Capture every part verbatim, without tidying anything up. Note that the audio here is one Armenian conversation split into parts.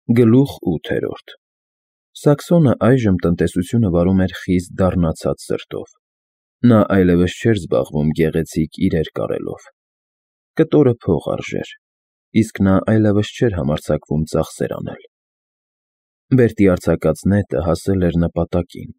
Գլուխ ութերորդ Սաքսոնը այժմ տնտեսությունը վարում էր խիստ դառնացած սրտով. նա այլևս չէր զբաղվում գեղեցիկ իրեր կարելով. կտորը փող արժեր, իսկ նա այլևս չէր համարձակվում ծախսեր անել. Բերտի արձակած նետը հասել էր նպատակին,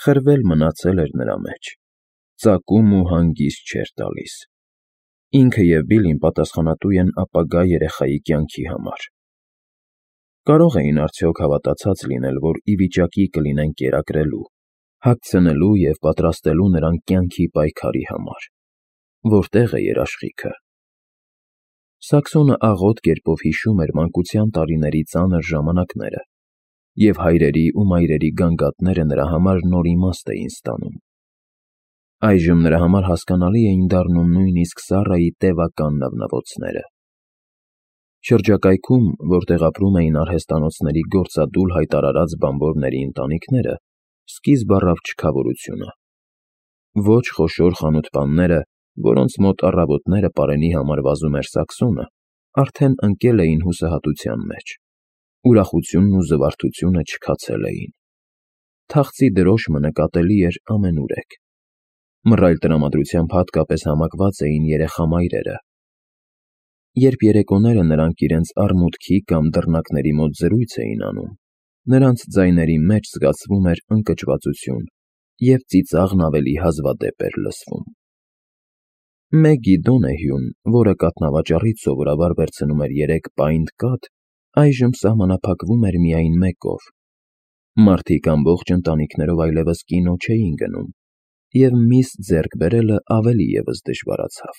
խրվել մնացել էր նրա մեջ, ծակում ու հանգիստ չէր տալիս. ինքը և Բիլլին պատասխանատու են ապագա երեխայի կյանքի համար. Կարո՞ղ էին արդյոք հավատացած լինել, որ ի վիճակի կլինեն կերակրելու, հագցնելու և պատրաստելու նրան կյանքի պայքարի համար: Որտե՞ղ է երաշխիքը: Սաքսոնը աղոտ կերպով հիշում էր մանկության տարիների ծանր ժամանակները, և հայրերի ու մայրերի գանգատները նրա համար նոր իմաստ էին ստանում: Այժմ նրա համար հասկանալի էին դառնում նույնիսկ Սառայի տևական նվնվոցները: Շրջակայքում, որտեղ ապրում էին արհեստանոցների գործադուլ հայտարարած բանվորների ընտանիքները, սկիզբ առավ չքավորությունը: Ոչ խոշոր խանութպանները, որոնց մոտ առավոտները պարենի համար վազում էր Սաքսոնը, արդեն ընկել էին հուսահատության մեջ, ուրախությունն ու զվարթությունը չքացել էին: Թախծի դրոշմը նկատելի էր ամենուրեք: Մռայլ տրամադրությամբ հատկապես համակված էին երեխա մայրերը: Երբ երեկոները նրանք իրենց արմունկի կամ դռնակների մոտ զրույց էին անում, նրանց ձայների մեջ զգացվում էր ընկճվածություն և ծիծաղն ավելի հազվադեպ էր լսվում: Մեգգի Դոնեհյուն, որը կաթնավաճառից սովորաբար վերցնում էր երեք պաինտ կաթ, այժմ սահմանափակվում էր միայն մեկով: Մարդիկ ամբողջ ընտանիքներով այլևս կինո չէին գնում, և միս ձեռք բերելը ավելի ևս դժվարացավ: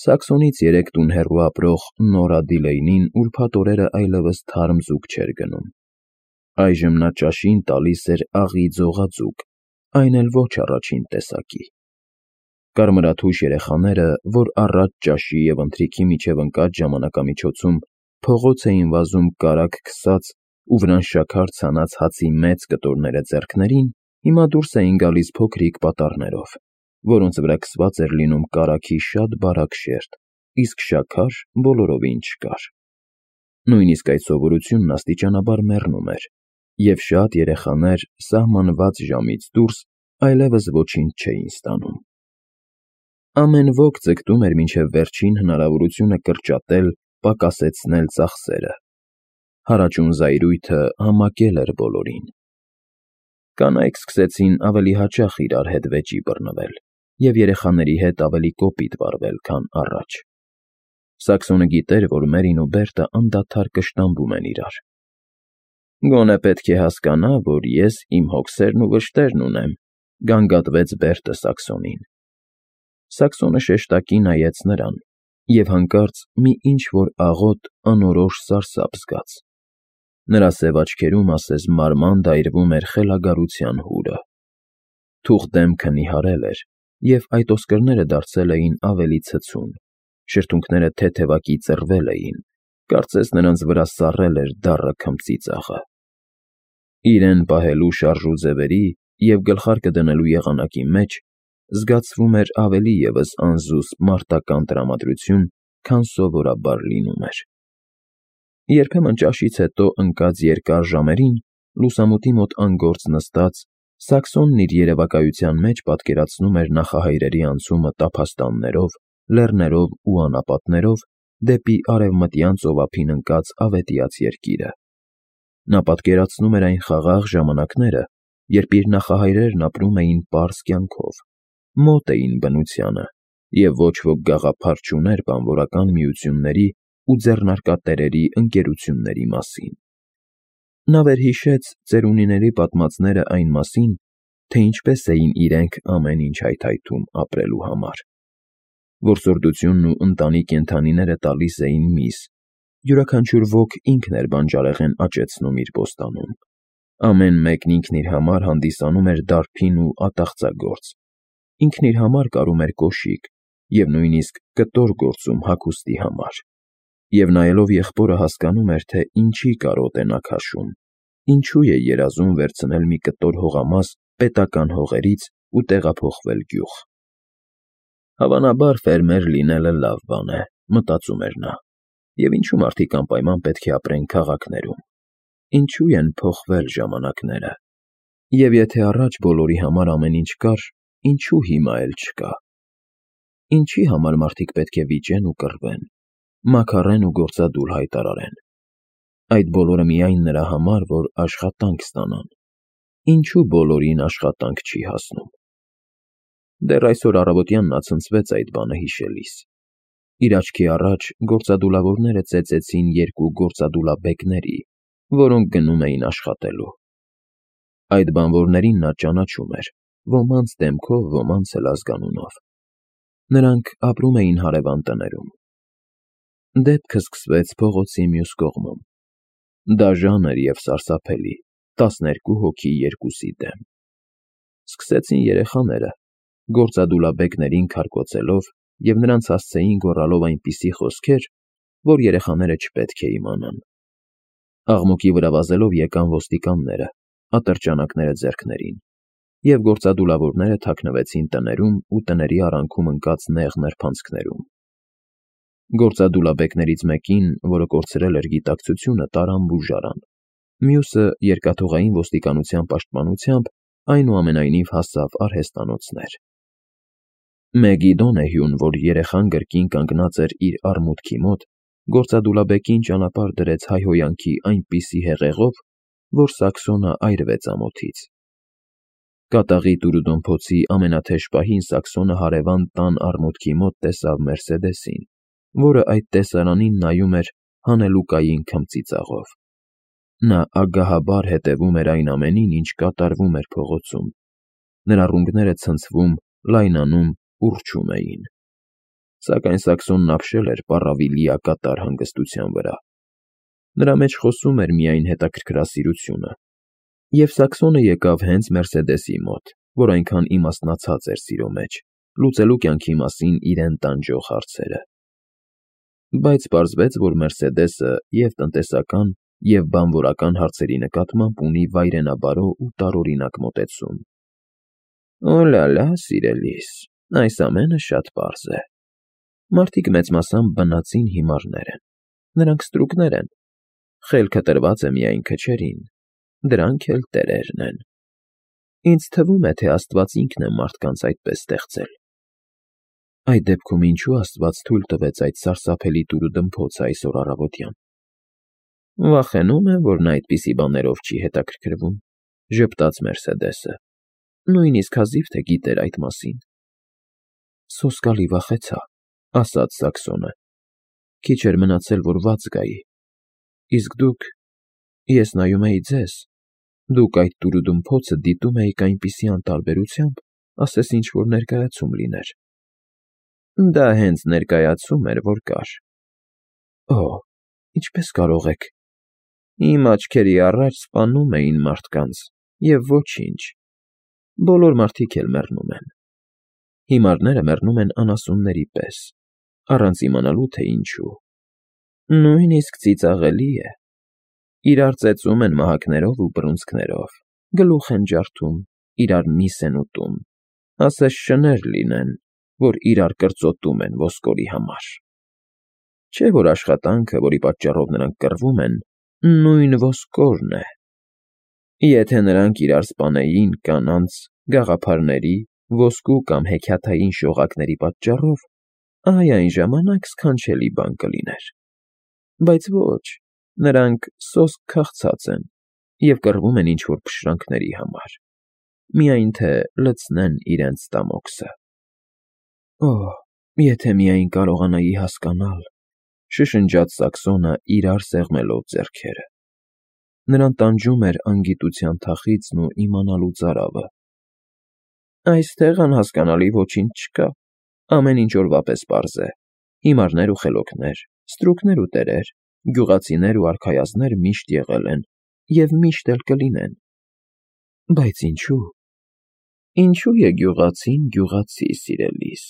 Սաքսոնից երեք տուն հեռու ապրող Նորա Դիլեյնին ուրբաթ օրերը այլևս թարմ ձուկ չէր գնում: Այժմ նա ճաշին տալիս էր աղի ձողաձուկ, այն էլ ոչ առաջին տեսակի: Կարմրաթույշ երեխաները, որ առատ ճաշի և ընթրիքի միջև ընկած ժամանակամիջոցում փողոց էին վազում կարագ քսած ու վրան շաքար ցանած հացի մեծ կտորները ձեռքներին, հիմա դուրս էին գալիս փոքրիկ պատառներով, որոնց վրա քսված էր լինում կարագի շատ բարակ շերտ, իսկ շաքար բոլորովին չկար: Նույնիսկ այդ սովորությունն աստիճանաբար մեռնում էր, և շատ երեխաներ սահմանված ժամից դուրս այլևս ոչինչ չէին ստանում: Ամեն ոք ձգտում էր մինչև վերջին հնարավորությունը կրճատել, պակասեցնել ծախսերը: Հարաճուն զայրույթը համակել էր բոլորին: Կանայք սկսեցին ավելի հաճախ իրար հետ վեճի բռնվել և երեխաների հետ ավելի կոպիտ վարվել, քան առաջ: Սաքսոնը գիտեր, որ Մերին ու Բերտը անդադար կշտամբում են իրար: Գոնե պետք է հասկանա, որ ես իմ հոգսերն ու վշտերն ունեմ, գանգատվեց Բերտը Սաքսոնին: Սաքսոնը շեշտակի նայեց նրան և հանկարծ մի ինչ-որ աղոտ, անորոշ սարսափ զգաց: Նրա սև աչքերում ասես մանրամand այրվում էր խելագարության հուրը: Թուխ դեմքը նիհարել էր, և այդ ոսկրները դարձել էին ավելի ցցուն, շրթունքները թեթևակի ծռվել էին, կարծես նրանց վրա սառել էր դառը քմծիծաղը: Իրեն պահելու շարժուձևերի և գլխարկը դնելու եղանակի մեջ զգացվում էր ավելի ևս անզուսպ մարտական տրամադրություն, քան սովորաբար լինում էր: Երբեմն ճաշից հետո ընկած երկար ժամերին, լուսամուտի մոտ անգործ նստած, Սաքսոնն իր երևակայության մեջ պատկերացնում էր նախահայրերի անցումը տափաստաններով, լեռներով ու անապատներով դեպի արևմտյան ծովափին ընկած ավետյաց երկիրը: Նա պատկերացնում էր այն խաղաղ ժամանակները, երբ իր նախահայրերն ապրում էին պարզ կյանքով, մոտ էին բնությանը և ոչ ոք գաղափար չուներ բանվորական միությունների ու ձեռնարկատերերի ընկերությունների մասին: Նա վերհիշեց ծերունիների պատմածները այն մասին, թե ինչպես էին իրենք ամեն ինչ հայթայթում ապրելու համար: Որսորդությունն ու ընտանի կենդանիները տալիս էին միս, յուրաքանչյուր ոք ինքն էր բանջարեղեն աճեցնում իր բոստանում, ամեն մեկն ինքն իր համար հանդիսանում էր դարբին ու ատաղծագործ, ինքն իր համար կարում էր կոշիկ և նույնիսկ կտոր գործում հագուստի համար: Եվ նայելով եղբորը հասկանում էր, թե ինչի կարոտ է նա քաշում, ինչու է երազում վերցնել մի կտոր հողամաս պետական հողերից ու տեղափոխվել գյուղ: Հավանաբար ֆերմեր լինելը լավ բան է, մտածում էր նա, Եվ ինչու մարդիկ անպայման պետք է ապրեն քաղաքներում, ինչու են փոխվել ժամանակները, և եթե առաջ բոլորի համար ամեն ինչ կար, ինչու հիմա էլ չկա, ինչի համար մարդիկ պետք է վիճեն ու կռվեն, մաքարեն ու գործադուլ հայտարարեն, այդ բոլորը միայն նրա համար, որ աշխատանք ստանան, ինչու բոլորին աշխատանք չի հասնում։ Դեռ այսօր առավոտյան նա ցնցվեց այդ բանը հիշելիս։ Իր աչքի առաջ գործադուլավորները ծեծեցին երկու գործադուլաբեկների, որոնք գնում էին աշխատելու։ Այդ բանվորներին նա ճանաչում էր, ոմանց դեմքով, ոմանց էլ ազգանունով։ Նրանք ապրում էին հարևան տներում։ Դեպքը սկսվեց փողոցի մյուս կողմում։ Դաժան էր և սարսափելի, տասներկու հոգի երկուսի դեմ։ Սկսեցին երեխաները, գործադուլաբեկներին քարկոծելով և նրանց հասցեին գոռալով այնպիսի խոսքեր, որ երեխաները չպետք է իմանան։ Աղմուկի վրա վազելով եկան ոստիկանները, ատրճանակները ձեռքներին, և գործադուլավորները թաքնվեցին տներում ու տների արանքում ընկած նեղ նրբանցքներում։ Գործադուլաբեկներից մեկին, որը կորցրել էր գիտակցությունը, տարան բուժարան, մյուսը երկաթուղային ոստիկանության պաշտպանությամբ այնուամենայնիվ հասավ արհեստանոցներ։ Մեգիդոնեհուն, որ երեխան գրկին կանգնած էր իր արմուտքի մոտ, գործադուլաբեկին ճանապարհ դրեց հայհոյանքի այնպիսի հեղեղով, որ Սաքսոնը այրվեց ամոթից։ Կատաղի տուրուդոմփոցի ամենաթեժ պահին Սաքսոնը հարևան տան արմուտքի մոտ տեսավ Մերսեդեսին, որը այդ տեսարանին նայում էր հանելուկային քմծիծաղով։ Նա ագահաբար հետևում էր այն ամենին, ինչ կատարվում էր փողոցում։ Նրա ռունգները ցնցվում, լայնանում, ուռչում էին։ Սակայն Սաքսոնն ապշել էր պառավի լիակատար հանգստության վրա։ Նրա մեջ խոսում էր միայն հետաքրքրասիրությունը։ Եվ Սաքսոնը եկավ հենց Մերսեդեսի մոտ, որ այնքան իմաստնացած էր սիրո մեջ, լուծելու կյանքի մասին իրեն տանջող հարցերը։ Բայց պարզվեց, որ Մերսեդեսը և տնտեսական, և բանվորական հարցերի նկատմամբ ունի վայրենաբարո ու տարօրինակ մոտեցում։ Օ՛լա֊լա, սիրելիս, այս ամենը շատ պարզ է։ Մարդիկ մեծ մասամբ բնածին հիմարներ են, նրանք ստրուկներ են, խելքը տրված է միայն քչերին, դրանք էլ տերերն են։ Ինձ թվում է, թե Աստված ինքն է մարդկանց այդպես ստեղծել։ Այդ դեպքում ինչու Աստված թույլ տվեց այդ սարսափելի տուրուդմփոցը այսօր առավոտյան։ Վախենում եմ, որ նա այդպիսի բաներով չի հետաքրքրվում, ժպտաց Մերսեդեսը, նույնիսկ հազիվ թե գիտեր այդ մասին։ Սոսկալի վախեցա, ասաց Սաքսոնը, քիչ էր մնացել, որ վատ զգայի։ Իսկ դուք, ես նայում էի ձեզ, դուք այդ տուրուդմփոցը դիտում էիք այնպիսի անտարբերությամբ, ասես ինչ֊որ ներկայացում լիներ։ Դա հենց ներկայացում էր, որ կար։ Օ, ինչպես կարող եք։ Իմ աչքերի առաջ սպանում էին մարդկանց, և ոչինչ։ Բոլոր մարդիկ էլ մեռնում են։ Հիմարները մեռնում են անասունների պես, առանց իմանալու, թե ինչու։ Նույնիսկ ծիծաղելի է։ Իրար ծեծում են մահակներով ու բռունցքներով, գլուխ են ջարդում, իրար միս են ուտում, ասես շներ լինեն, որ իրար կրծոտում են ոսկորի համար։ Չէ՞ որ աշխատանքը, որի պատճառով նրանք կռվում են, նույն ոսկորն է։ Եթե նրանք իրար սպանեին կանանց, գաղափարների, ոսկու կամ հեքիաթային շողակների պատճառով, այ այն ժամանակ սքանչելի բան կլիներ։ Բայց ոչ, նրանք սոսկ քաղցած են և կռվում են ինչ֊որ փշրանքների համար, միայն թե լցնեն իրենց ստամոքսը։ Օ, եթե միայն կարողանայի հասկանալ, շշնջաց Սաքսոնը իրար սեղմելով ձեռքերը։ Նրան տանջում էր անգիտության թախիծն ու իմանալու ծարավը։ Այստեղ անհասկանալի ոչինչ չկա, ամեն ինչ օրվա պես պարզ է։ Հիմարներ ու խելոքներ, ստրուկներ ու տերեր, գյուղացիներ ու արքայազններ միշտ եղել են և միշտ էլ կլինեն։ Բայց ինչու։ Ինչու է գյուղացին գյուղացի, սիրելիս,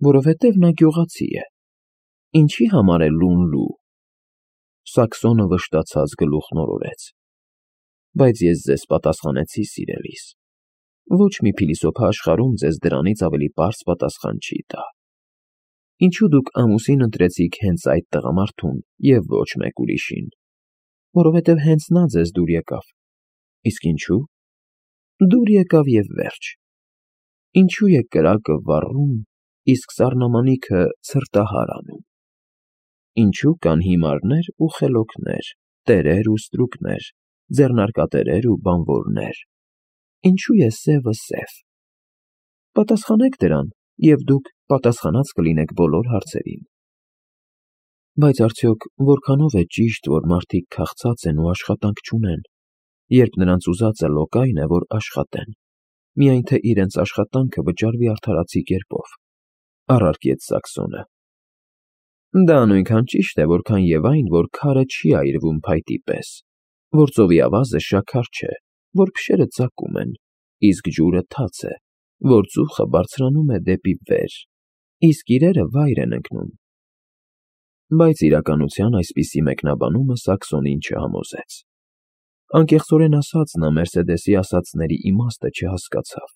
որովհետև նա գյուղացի է։ Ինչի համար է լուն լու։ Սաքսոնը վշտացած գլուխն օրորեց։ Բայց ես ձեզ պատասխանեցի, սիրելիս։ Ոչ մի փիլիսոփա աշխարհում ձեզ դրանից ավելի պարզ պատասխան չի տա։ Ինչու դուք ամուսին ընտրեցիք հենց այդ տղամարդուն և ոչ մեկ ուրիշին, որովհետև հենց նա ձեզ դուր եկավ, իսկ ինչու՞։ Դուր եկավ և վերջ։ Ինչու է կրակը վառում, իսկ սառնամանիքը ցրտահար անում։ Ինչու կան հիմարներ ու խելոքներ, տերեր ու ստրուկներ, ձեռնարկատերեր ու բանվորներ։ Ինչու է սևը սև։ Պատասխանեք դրան, և դուք պատասխանած կլինեք բոլոր հարցերին։ Բայց արդյոք որքանո՞վ է ճիշտ, որ մարդիկ քաղցած են ու աշխատանք չունեն, երբ նրանց ուզածը լոկայն է, որ աշխատեն, միայն թե իրենց աշխատանքը վճարվի արդարացի կերպով, առարկեց Սաքսոնը։ Դա նույնքան ճիշտ է, որքան և այն, որ քարը չի այրվում փայտի պես, որ ծովի ավազը շաքար չէ, որ փշերը ծակում են, իսկ ջուրը թաց է, որ ծուխը բարձրանում է դեպի վեր, իսկ իրերը վայր են ընկնում։ Բայց իրականության այսպիսի մեկնաբանումը Սաքսոնին չհամոզեց։ Անկեղծորեն ասած, նա Մերսեդեսի ասածների իմաստը չհասկացավ։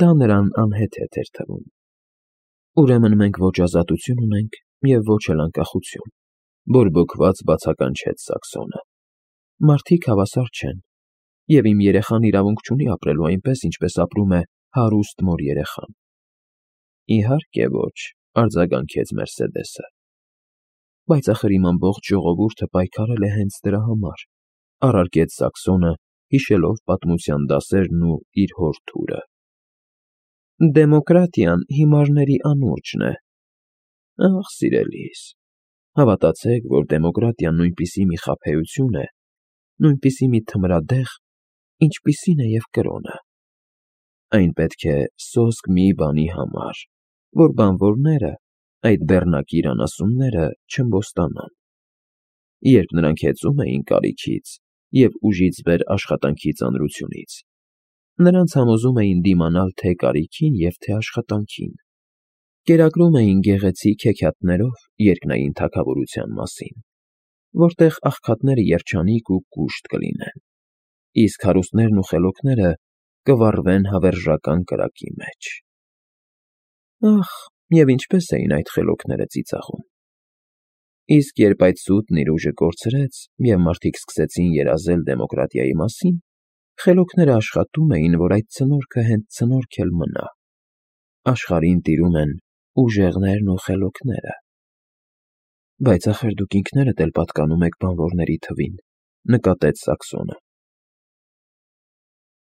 Դա նրան անհեթեթ էր թվում։ Ուրեմն մենք ոչ ազատություն ունենք և ոչ էլ անկախություն, բորբոքված բացականչեց Սաքսոնը։ Մարդիկ հավասար չեն, և իմ երեխան իրավունք չունի ապրելու այնպես, ինչպես ապրում է հարուստ մոր երեխան։ Իհարկե ոչ, արձագանքեց Մերսեդեսը։ Բայց ախր իմ ամբողջ ժողովուրդը պայքարել է հենց դրա համար, առարկեց Սաքսոնը, հիշելով պատմության դասերն ու իր հոր թուրը։ Դեմոկրատիան հիմարների անուրջն է։ Ախ, սիրելիս, հավատացեք, որ դեմոկրատիան նույնպիսի մի խաբեություն է, նույնպիսի մի թմրադեղ, ինչպիսին է և կրոնը։ Այն պետք է սոսկ մի բանի համար, որ բանվորները, այդ բեռնակիր անասունները չըմբոստանան։ Երբ նրանք հեծում էին կարիքից և ուժից վեր աշխատանքի ծանրությունից, նրանց համոզում էին դիմանալ թե կարիքին և թե աշխատանքին, կերակրում էին գեղեցիկ հեքիաթներով երկնային թագավորության մասին, որտեղ աղքատները երջանիկ ու կուշտ կլինեն, իսկ հարուստներն ու խելոքները կվառվեն հավերժական կրակի մեջ։ Ախ, և ինչպես էին այդ խելոքները ծիծաղում։ Իսկ երբ այդ սուտն իր ուժը կորցրեց, և մարդիկ սկսեցին երազել դեմոկրատիայի մասին, խելոքները աշխատում էին, որ այդ ցնորքը հենց ցնորք էլ մնա։ Աշխարհին տիրում են ուժեղներն ու խելոքները։ Բայց ախր դուք ինքներդ էլ պատկանում եք բանվորների թվին, նկատեց Սաքսոնը։